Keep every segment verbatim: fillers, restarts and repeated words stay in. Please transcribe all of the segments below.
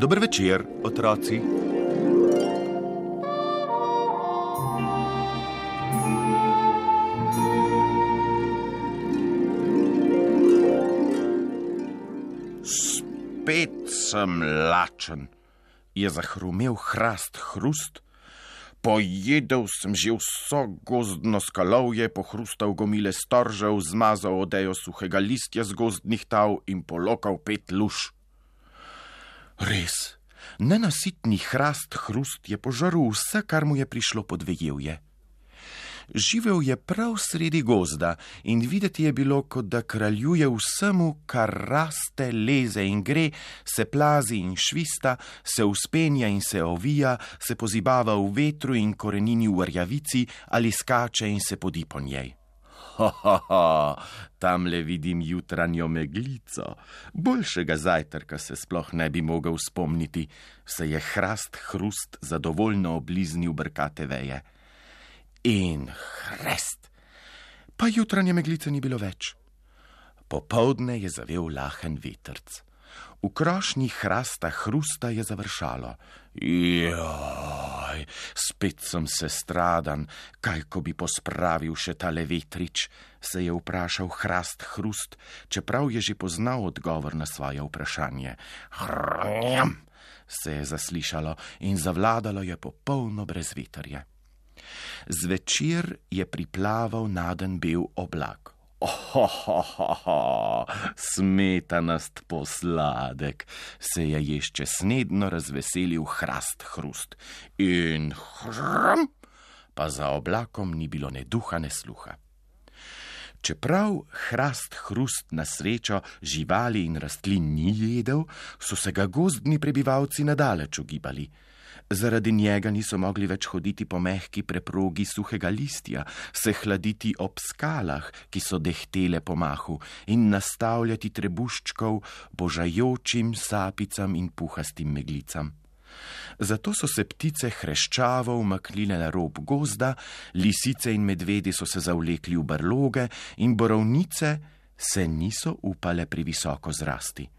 Dober večer, otroci. Spet sem lačen, je zahrumel Hrast Hrust. Pojedel sem že vso gozdno skalovje, pohrustal gomile storžev, zmazal odejo suhega listja z gozdnih tav in polokal pet luž. Res, nenasitni Hrast Hrust je požaril vse, kar mu je prišlo pod vejevje. Živel je prav sredi gozda in videti je bilo, kot da kraljuje vsemu, kar raste, leze in gre, se plazi in švista, se uspenja in se ovija, se pozibava v vetru in korenini v rjavici ali skače in se podi po njej. Ha, ha, ha, tamle vidim jutranjo meglico. Boljšega zajtrka se sploh ne bi mogel spomniti, se je Hrast Hrust zadovoljno obliznil brkate veje. In hrest, pa jutranje meglice ni bilo več. Popoldne je zavel lahen vetrc. V krošnji Hrasta Hrusta je završalo. Joj, spet sem se stradan, kaj ko bi pospravil še tale vetrič, se je vprašal Hrast Hrust, čeprav je že poznal odgovor na svoje vprašanje. Hrjam, se je zaslišalo in zavladalo je popolno brezvetrje. Zvečer je priplaval naden bel oblak. Ohohoho, smetanast posladek, se je ještě snedno razveselil Hrast Hrust. In hram, pa za oblakom ni bilo ne duha, ne sluha. Čeprav Hrast Hrust na srečo živali in rastlin ni jedel, so se ga gozdni prebivalci nadaleč ugibali. Zaradi njega niso mogli več hoditi po mehki preprogi suhega listja, se hladiti ob skalah, ki so dehtele po mahu, in nastavljati trebuščkov božajočim sapicam in puhastim meglicam. Zato so se ptice hreščavo umaknile na rob gozda, lisice in medvedi so se zavlekli v brloge in borovnice se niso upale previsoko zrasti.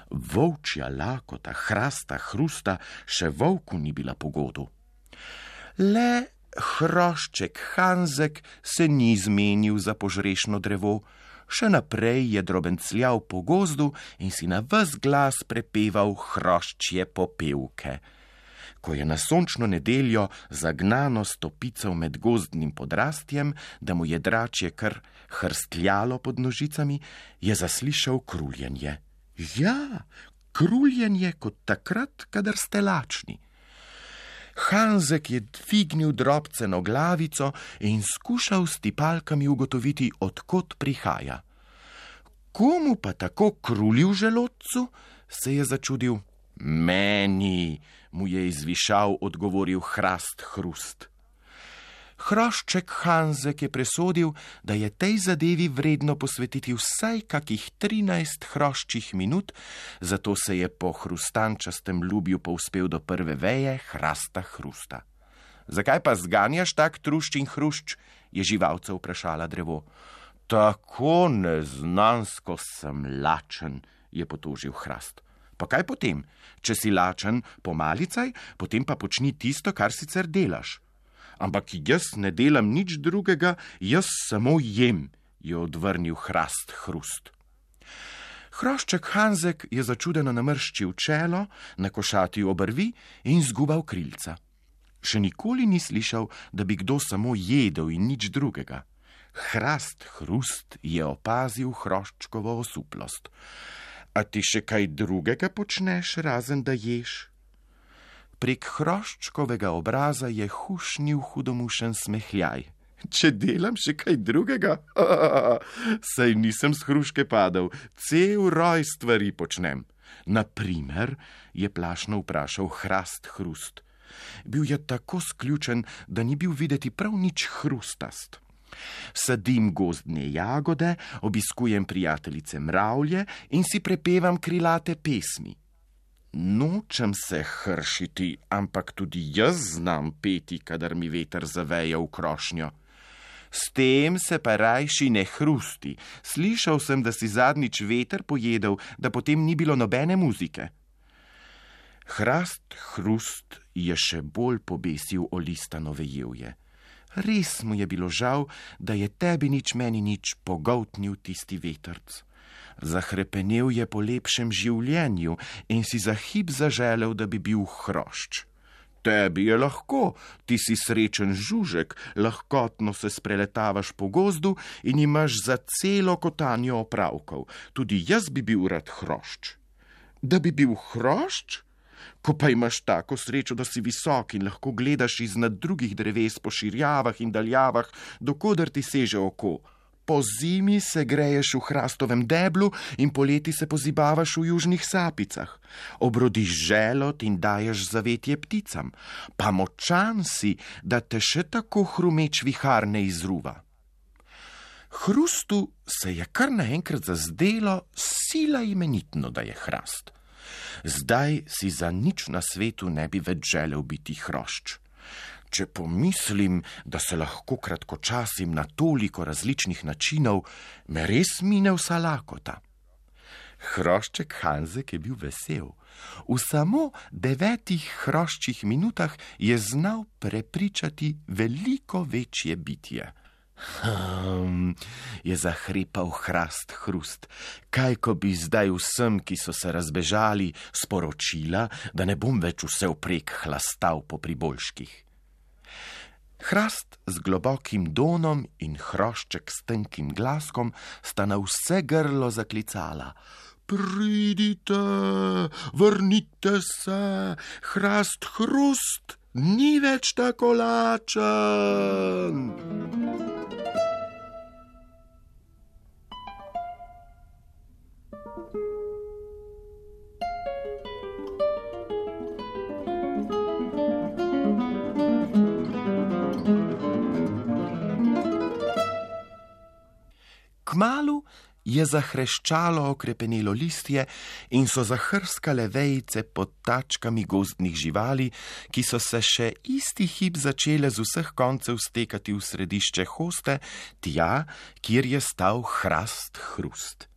Volčja lakota Hrasta Hrusta še volku ni bila pogodu. Le hrošček Hanzek se ni zmenil za požrešno drevo, še naprej je drobencljal po gozdu in si na ves glas prepeval hroščje popevke. Ko je na sončno nedeljo zagnano stopical med gozdnim podrastjem, da mu je dračje kar hrstljalo pod nožicami, je zaslišal kruljenje. Ja, kruljenje kot takrat, kadar ste lačni. Hanzek je dvignil drobceno glavico in skušal s tipalkami ugotoviti, odkot prihaja. Komu pa tako kruli v želodcu, se je začudil. Meni, mu je izvišal odgovoril Hrast Hrust. Hrošček Hanzek je presodil, da je tej zadevi vredno posvetiti vsaj kakih trinajst hroščih minut, zato se je po hrustančastem ljubju povzpel do prve veje Hrasta Hrusta. Zakaj pa zganjaš tak trušč in hrušč, je živalca vprašala drevo. Tako neznansko sem lačen, je potožil Hrast. Pa kaj potem? Če si lačen, pomalicaj, potem pa počni tisto, kar sicer delaš. Ampak jaz ne delam nič drugega, jaz samo jem, je odvrnil Hrast Hrust. Hrošček Hanzek je začudeno namrščil čelo, nakošatil obrvi in zgubal krilca. Še nikoli ni slišal, da bi kdo samo jedel in nič drugega. Hrast Hrust je opazil hroščkovo osuplost. A ti še kaj drugega počneš, razen da ješ? Prek hroščkovega obraza je hušnil hudomušen smehljaj. Če delam še kaj drugega? Saj nisem s hruške padal, cel roj stvari počnem. Naprimer, je plašno vprašal Hrast Hrust. Bil je tako sključen, da ni bil videti prav nič hrustast. Sadim gozdne jagode, obiskujem prijateljice mravlje in si prepevam krilate pesmi. Nočem se hršiti, ampak tudi jaz znam peti, kadar mi veter zaveje v krošnjo. S tem se pa rajši ne hrusti. Slišal sem, da si zadnjič veter pojedel, da potem ni bilo nobene muzike. Hrast Hrust je še bolj pobesil o listano vejevje. Res mu je bilo žal, da je tebi nič meni nič pogoltnil tisti vetrc. Zahrepenel je po lepšem življenju in si za hip zaželel, da bi bil hrošč. Tebi je lahko, ti si srečen žužek, lahkotno se spreletavaš po gozdu in imaš za celo kotanjo opravkov. Tudi jaz bi bil rad hrošč. Da bi bil hrošč? Ko pa imaš tako srečo, da si visok in lahko gledaš iznad drugih dreves po širjavah in daljavah, dokoder ti seže oko. Po zimi se greješ v hrastovem deblu in poleti se pozibavaš v južnih sapicah. Obrodiš želod in daješ zavetje pticam. Pa močan si, da te še tako hrumeč vihar ne izruva. Hrustu se je kar naenkrat zazdelo sila imenitno, da je hrast. Zdaj si za nič na svetu ne bi več želel biti hrošč. Če pomislim, da se lahko kratkočasim na toliko različnih načinov, me res mine vsa lakota. Hrošček Hanzek je bil vesel. V samo devetih hroščih minutah je znal prepričati veliko večje bitje. Hm, je zahrepal Hrast Hrust. Kaj, ko bi zdaj vsem, ki so se razbežali, sporočila, da ne bom več vse vprek hlastal po priboljških. Hrast z globokim donom in hrošček s tenkim glaskom sta na vse grlo zaklicala. Pridite, vrnite se, Hrast Hrust ni več tako lačen. Kmalu je zahreščalo okrepenelo listje in so zahrskale vejice pod tačkami gozdnih živali, ki so se še isti hip začele z vseh koncev stekati v središče hoste, tja, kjer je stal Hrast Hrust.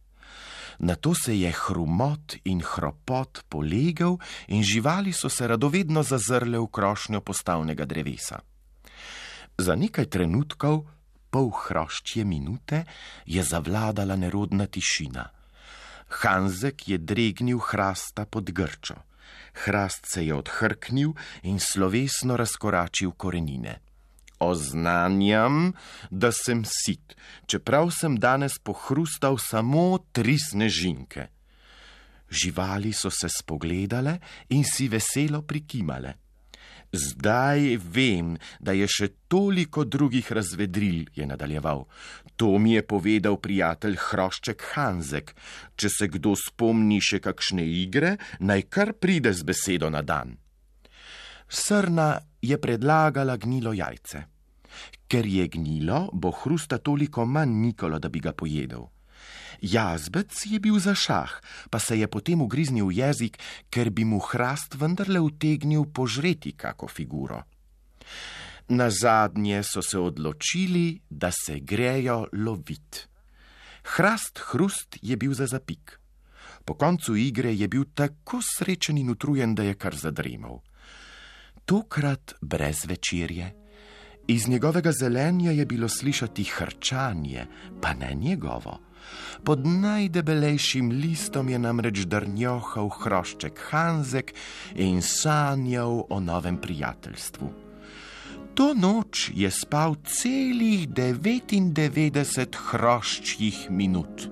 Nato se je hrumot in hropot polegel in živali so se radovedno zazrle v krošnjo postavnega drevesa. Za nekaj trenutkov, pol hroščje minute, je zavladala nerodna tišina. Hanzek je dregnil Hrasta pod grčo. Hrast se je odhrknil in slovesno razkoračil korenine. Oznanjam, da sem sit, čeprav sem danes pohrustal samo tri snežinke. Živali so se spogledale in si veselo prikimale. Zdaj vem, da je še toliko drugih razvedril, je nadaljeval. To mi je povedal prijatelj Hrošček Hanzek. Če se kdo spomni še kakšne igre, naj kar pride z besedo na dan. Srna je predlagala gnilo jajce. Ker je gnilo, bo Hrusta toliko manj mikalo, da bi ga pojedel. Jazbec je bil za šah, pa se je potem ugriznil v jezik, ker bi mu Hrast vendarle utegnil požreti kako figuro. Nazadnje so se odločili, da se grejo lovit. Hrast Hrust je bil za zapik. Po koncu igre je bil tako srečen in utrujen, da je kar zadremal. Tokrat brez večerje. Iz njegovega zelenja je bilo slišati hrčanje, pa ne njegovo. Pod najdebelejšim listom je namreč drnjohal Hrošček Hanzek in sanjal o novem prijateljstvu. To noč je spal celih devetindevetdeset hroščjih minut.